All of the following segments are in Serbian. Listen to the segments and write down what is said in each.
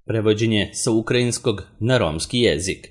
Prevođenje sa ukrajinskog na romski jezik.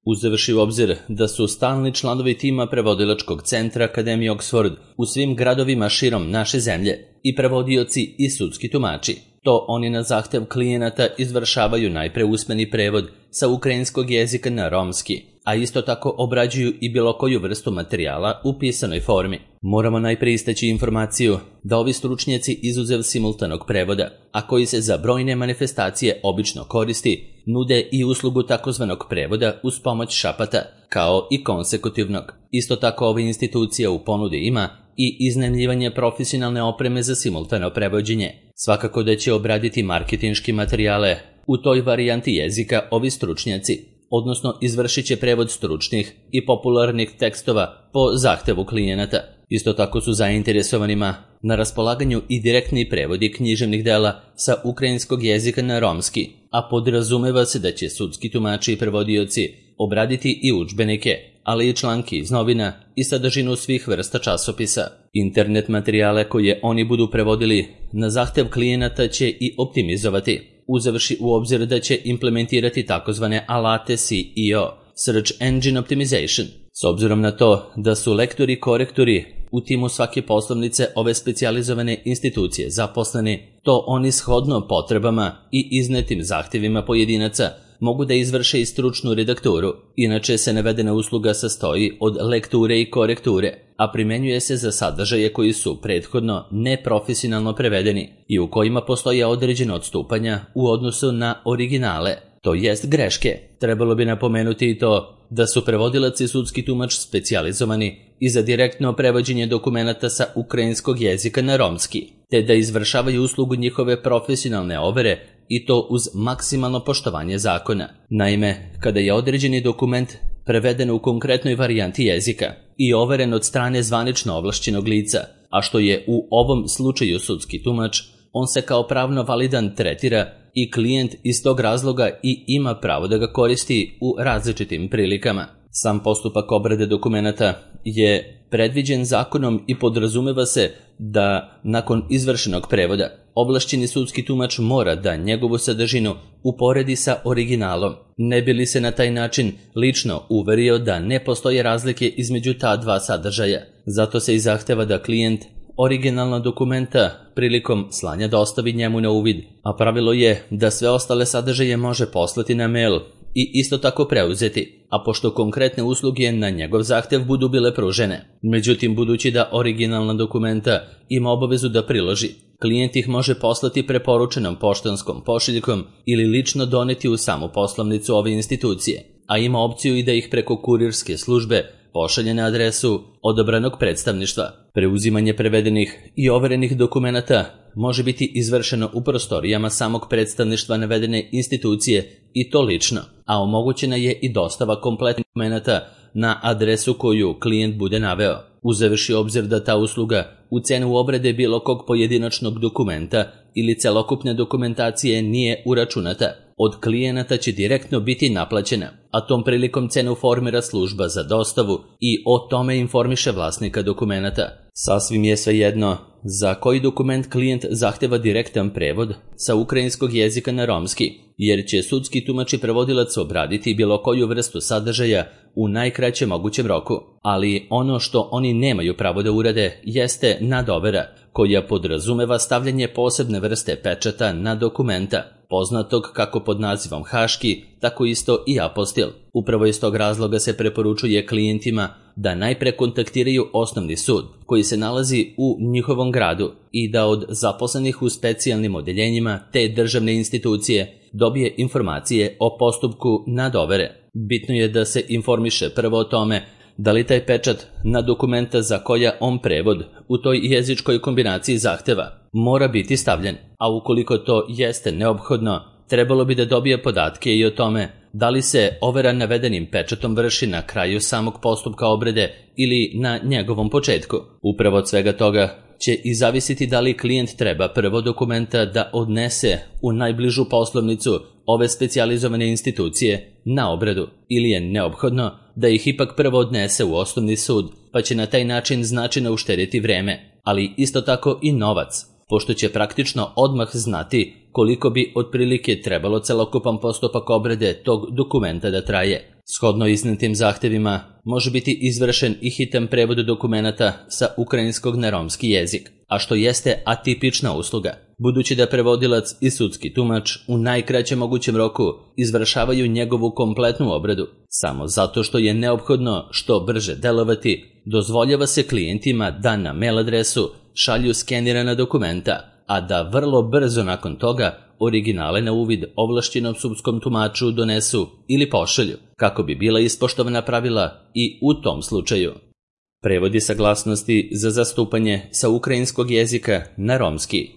Uzevši u obzir da su stalni članovi tima prevodilačkog centra Akademije Oxford u svim gradovima širom naše zemlje i prevodioci i sudski tumači, to oni na zahtev klijenata izvršavaju najpre usmeni prevod sa ukrajinskog jezika na romski, a isto tako obrađuju i bilo koju vrstu materijala u pisanoj formi. Moramo najpre istaći informaciju da ovi stručnjaci izuzev simultanog prevoda, a koji se za brojne manifestacije obično koristi, nude i uslugu takozvanog prevoda uz pomoć šapata, kao i konsekutivnog. Isto tako ova institucija u ponudi ima i iznajmljivanje profesionalne opreme za simultano prevođenje. Svakako da će obraditi marketinški materijale u toj varijanti jezika ovi stručnjaci, odnosno izvršit će prevod stručnih i popularnih tekstova po zahtevu klijenata. Isto tako su zainteresovanima na raspolaganju i direktni prevodi književnih dela sa ukrajinskog jezika na romski, a podrazumeva se da će sudski tumači i prevodioci obraditi i udžbenike, ali i članke iz novina i sadržinu svih vrsta časopisa. Internet materijale koje oni budu prevodili na zahtev klijenata će i optimizovati, uzevši u obzir da će implementirati takozvane alate SEO, Search Engine Optimization. S obzirom na to da su lektori i korektori u timu svake poslovnice ove specijalizovane institucije zaposleni, to oni shodno potrebama i iznetim zahtjevima pojedinaca mogu da izvrše i stručnu redakturu. Inače se navedena usluga sastoji od lekture i korekture, a primenjuje se za sadržaje koji su prethodno neprofesionalno prevedeni i u kojima postoje određena odstupanja u odnosu na originale, to jest greške. Trebalo bi napomenuti i to da su prevodilac i sudski tumač specijalizovani i za direktno prevođenje dokumenata sa ukrajinskog jezika na romski, te da izvršavaju uslugu njihove profesionalne overe i to uz maksimalno poštovanje zakona. Naime, kada je određeni dokument preveden u konkretnoj varijanti jezika i overen od strane zvanično ovlašćenog lica, a što je u ovom slučaju sudski tumač, on se kao pravno validan tretira i klijent iz tog razloga i ima pravo da ga koristi u različitim prilikama. Sam postupak obrade dokumenata je predviđen zakonom i podrazumeva se da nakon izvršenog prevoda ovlašćeni sudski tumač mora da njegovu sadržinu uporedi sa originalom, ne bi li se na taj način lično uverio da ne postoje razlike između ta dva sadržaja. Zato se i zahteva da klijent originalna dokumenta prilikom slanja dostavi njemu na uvid, a pravilo je da sve ostale sadržaje može poslati na mail i isto tako preuzeti, a pošto konkretne usluge na njegov zahtev budu bile pružene. Međutim, budući da originalna dokumenta ima obavezu da priloži, klijent ih može poslati preporučenom poštanskom pošiljkom ili lično doneti u samu poslovnicu ove institucije, a ima opciju i da ih preko kurirske službe pošalje na adresu odabranog predstavništva. Preuzimanje prevedenih i overenih dokumenata može biti izvršeno u prostorijama samog predstavništva navedene institucije i to lično, a omogućena je i dostava kompletnih dokumenata na adresu koju klijent bude naveo. Uzevši obzir da ta usluga u cenu obrade bilo kog pojedinačnog dokumenta ili celokupne dokumentacije nije uračunata, od klijenata će direktno biti naplaćena, a tom prilikom cenu formira služba za dostavu i o tome informiše vlasnika dokumenata. Sasvim je svejedno za koji dokument klijent zahteva direktan prevod sa ukrajinskog jezika na romski, jer će sudski tumač i prevodilac obraditi bilo koju vrstu sadržaja u najkraćem mogućem roku. Ali ono što oni nemaju pravo da urade jeste nadovera, koja podrazumeva stavljanje posebne vrste pečata na dokumenta, poznatog kako pod nazivom haški, tako isto i apostil. Upravo iz tog razloga se preporučuje klijentima da najpre kontaktiraju osnovni sud, koji se nalazi u njihovom gradu, i da od zaposlenih u specijalnim odeljenjima te državne institucije dobije informacije o postupku nadovere. Bitno je da se informiše prvo o tome da li taj pečat na dokumenta za koja on prevod u toj jezičkoj kombinaciji zahteva mora biti stavljen, a ukoliko to jeste neophodno, trebalo bi da dobije podatke i o tome da li se overa navedenim pečatom vrši na kraju samog postupka obrade ili na njegovom početku. Upravo od svega toga će i zavisiti da li klijent treba prvo dokumenta da odnese u najbližu poslovnicu ove specijalizovane institucije na obradu ili je neophodno da ih ipak prvo odnese u osnovni sud, pa će na taj način značajno uštedjeti vreme, ali isto tako i novac, pošto će praktično odmah znati koliko bi otprilike trebalo celokupan postupak obrade tog dokumenta da traje. Shodno iznetim zahtevima može biti izvršen i hitan prevod dokumenata sa ukrajinskog na romski jezik, a što jeste atipična usluga, budući da prevodilac i sudski tumač u najkraćem mogućem roku izvršavaju njegovu kompletnu obradu. Samo zato što je neophodno što brže delovati, dozvoljava se klijentima da na mail adresu šalju skenirana dokumenta, a da vrlo brzo nakon toga originale na uvid ovlašćenom sudskom tumaču donesu ili pošalju, kako bi bila ispoštovana pravila i u tom slučaju. Prevodi saglasnosti za zastupanje sa ukrajinskog jezika na romski.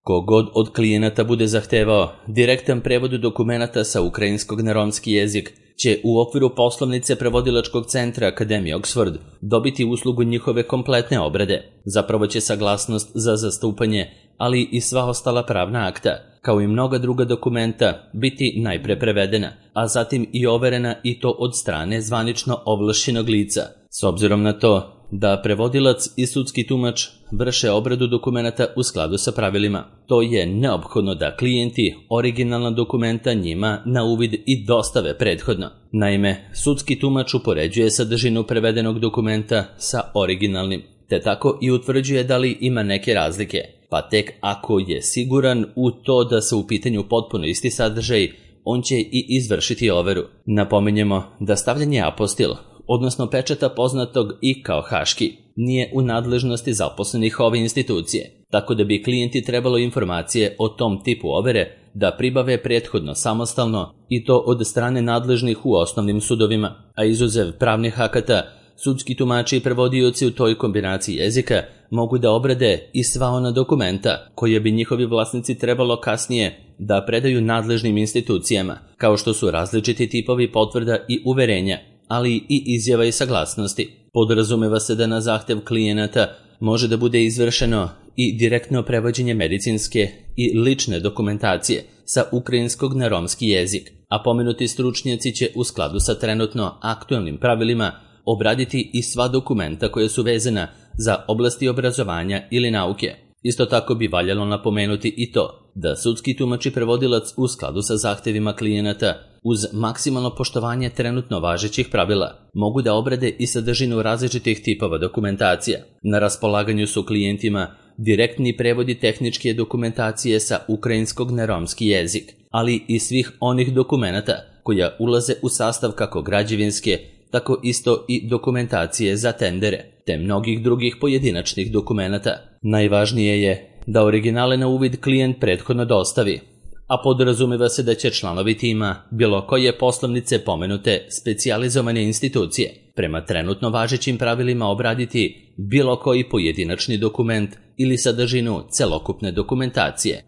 Kogod od klijenata bude zahtevao direktan prevod dokumenata sa ukrajinskog na romski jezik će u okviru poslovnice prevodilačkog centra Akademije Oxford dobiti uslugu njihove kompletne obrade. Zapravo će saglasnost za zastupanje, ali i sva ostala pravna akta, kao i mnoga druga dokumenta, biti najpre prevedena, a zatim i overena i to od strane zvanično ovlašćenog lica. S obzirom na to da prevodilac i sudski tumač vrše obradu dokumenata u skladu sa pravilima, to je neophodno da klijenti originalna dokumenta njima na uvid i dostave prethodno. Naime, sudski tumač upoređuje sadržinu prevedenog dokumenta sa originalnim, te tako i utvrđuje da li ima neke razlike, pa tek ako je siguran u to da su u pitanju potpuno isti sadržaj, on će i izvršiti overu. Napominjemo da stavljanje apostil, odnosno pečata poznatog i kao haški, nije u nadležnosti zaposlenih ove institucije, tako da bi klijenti trebalo informacije o tom tipu overe da pribave prethodno samostalno i to od strane nadležnih u osnovnim sudovima, a izuzev pravnih akata, sudski tumači i prevodioci u toj kombinaciji jezika mogu da obrade i sva ona dokumenta koje bi njihovi vlasnici trebalo kasnije da predaju nadležnim institucijama, kao što su različiti tipovi potvrda i uverenja, ali i izjava i saglasnosti. Podrazumeva se da na zahtev klijenata može da bude izvršeno i direktno prevođenje medicinske i lične dokumentacije sa ukrajinskog na romski jezik, a pomenuti stručnjaci će u skladu sa trenutno aktualnim pravilima obraditi i sva dokumenta koja su vezana za oblasti obrazovanja ili nauke. Isto tako bi valjalo napomenuti i to da sudski tumač i prevodilac u skladu sa zahtevima klijenata uz maksimalno poštovanje trenutno važećih pravila mogu da obrade i sadržinu različitih tipova dokumentacija. Na raspolaganju su klijentima direktni prevodi tehničke dokumentacije sa ukrajinskog na romski jezik, ali i svih onih dokumenata koja ulaze u sastav kako građevinske, tako isto i dokumentacije za tendere, te mnogih drugih pojedinačnih dokumenata. Najvažnije je da originale na uvid klijent prethodno dostavi, a podrazumeva se da će članovi tima bilo koje poslovnice pomenute specijalizovane institucije prema trenutno važećim pravilima obraditi bilo koji pojedinačni dokument ili sadržinu celokupne dokumentacije.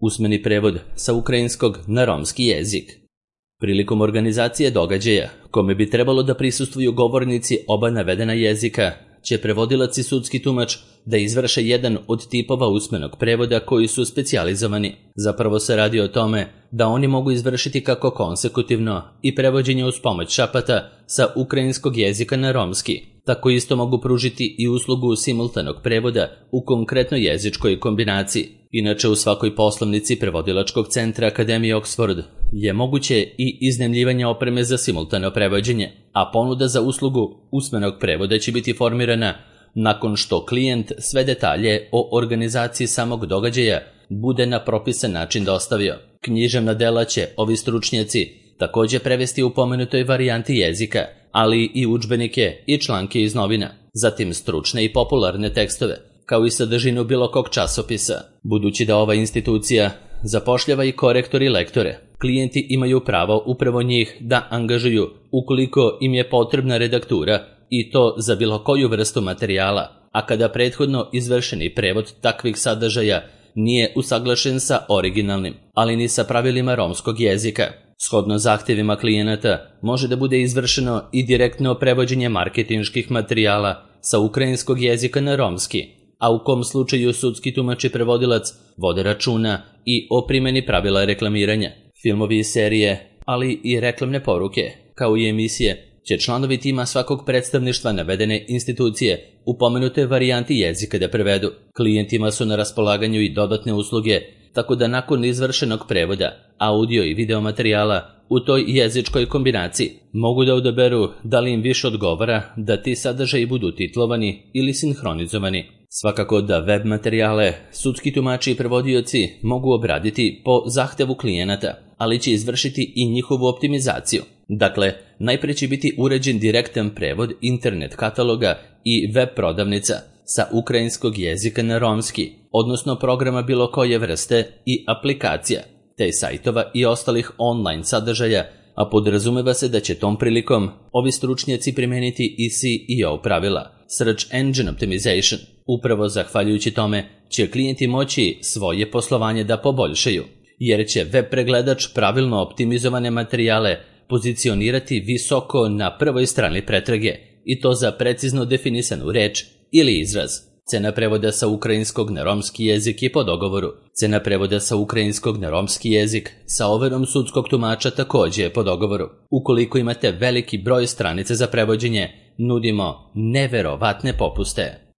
Usmeni prevod sa ukrajinskog na romski jezik. Prilikom organizacije događaja, kome bi trebalo da prisustvuju govornici oba navedena jezika, će prevodilac i sudski tumač da izvrše jedan od tipova usmenog prevoda koji su specijalizovani. Zapravo se radi o tome da oni mogu izvršiti kako konsekutivno i prevođenje uz pomoć šapata sa ukrajinskog jezika na romski, tako isto mogu pružiti i uslugu simultanog prevoda u konkretnoj jezičkoj kombinaciji. Inače, u svakoj poslovnici prevodilačkog centra Akademije Oxford je moguće i iznajmljivanje opreme za simultano prevođenje, a ponuda za uslugu usmenog prevoda će biti formirana nakon što klijent sve detalje o organizaciji samog događaja bude na propisan način dostavio. Književna dela će ovi stručnjaci također prevesti u pomenutoj varijanti jezika, ali i udžbenike i članke iz novina, zatim stručne i popularne tekstove, kao i sadržinu bilo kog časopisa. Budući da ova institucija zapošljava i korektor i lektore, klijenti imaju pravo upravo njih da angažuju ukoliko im je potrebna redaktura i to za bilo koju vrstu materijala, a kada prethodno izvršeni prevod takvih sadržaja nije usaglašen sa originalnim, ali ni sa pravilima romskog jezika. Shodno zahtevima klijenata može da bude izvršeno i direktno prevođenje marketinških materijala sa ukrajinskog jezika na romski, a u kom slučaju sudski tumač i prevodilac vode računa i o primjeni pravila reklamiranja. Filmovi i serije, ali i reklamne poruke, kao i emisije, će članovi tima svakog predstavništva navedene institucije u pomenutoj varijanti jezika da prevedu. Klijentima su na raspolaganju i dodatne usluge tako da nakon izvršenog prevoda, audio i video materijala u toj jezičkoj kombinaciji mogu da odaberu da li im više odgovara da ti sadržaji budu titlovani ili sinhronizovani. Svakako da web materijale sudski tumači i prevodioci mogu obraditi po zahtevu klijenata, ali će izvršiti i njihovu optimizaciju. Dakle, najprije će biti uređen direktan prevod internet kataloga i web prodavnica sa ukrajinskog jezika na romski, odnosno programa bilo koje vrste i aplikacija, te sajtova i ostalih online sadržaja, a podrazumeva se da će tom prilikom ovi stručnjaci primeniti i SEO pravila, Search Engine Optimization. Upravo zahvaljujući tome će klijenti moći svoje poslovanje da poboljšaju, jer će web pregledač pravilno optimizovane materijale pozicionirati visoko na prvoj strani pretrage, i to za precizno definisanu reč ili izraz. Cena prevoda sa ukrajinskog na romski jezik je po dogovoru. Cena prevoda sa ukrajinskog na romski jezik sa overom sudskog tumača također je po dogovoru. Ukoliko imate veliki broj stranica za prevođenje, nudimo neverovatne popuste.